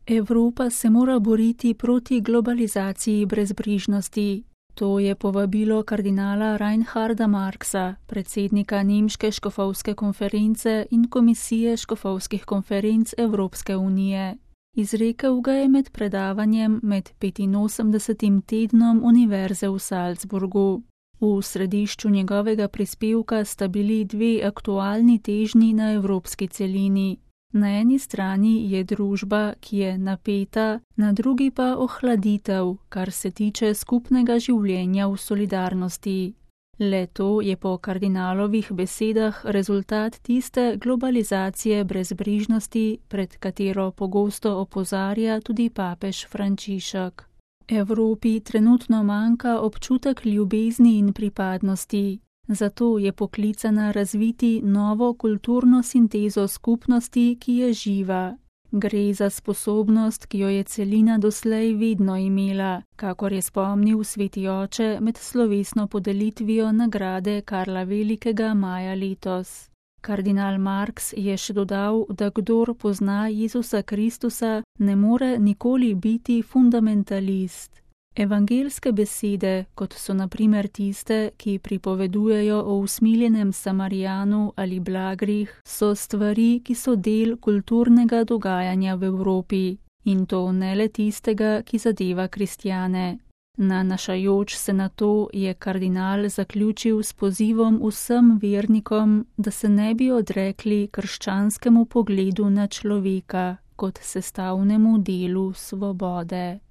Evropa se mora boriti proti globalizaciji brezbrižnosti. To je povabilo kardinala Reinharda Marxa, predsednika Nemške škofovske konference in komisije škofovskih konferenc Evropske unije. Izrekel ga je med predavanjem med 85. tednom Univerze v Salzburgu. V središču njegovega prispevka sta bili dve aktualni težnji na evropski celini. Na eni strani je družba, ki je napeta, na drugi pa ohladitev, kar se tiče skupnega življenja v solidarnosti. Le to je po kardinalovih besedah rezultat tiste globalizacije brezbrižnosti, pred katero pogosto opozarja tudi papež Frančišek. Evropi trenutno manjka občutek ljubezni in pripadnosti. Zato je poklicana razviti novo kulturno sintezo skupnosti, ki je živa. Gre za sposobnost, ki jo je celina doslej vedno imela, kakor je spomnil sveti oče med slovesno podelitvijo nagrade Karla Velikega maja letos. Kardinal Marx je še dodal, da kdor pozna Jezusa Kristusa, ne more nikoli biti fundamentalist. Evangelske besede, kot so na primer tiste, ki pripovedujejo o usmiljenem Samarijanu ali Blagrih, so stvari, ki so del kulturnega dogajanja v Evropi, in to ne le tistega, ki zadeva kristjane. Nanašajoč se na to je kardinal zaključil s pozivom vsem vernikom, da se ne bi odrekli krščanskemu pogledu na človeka kot sestavnemu delu svobode.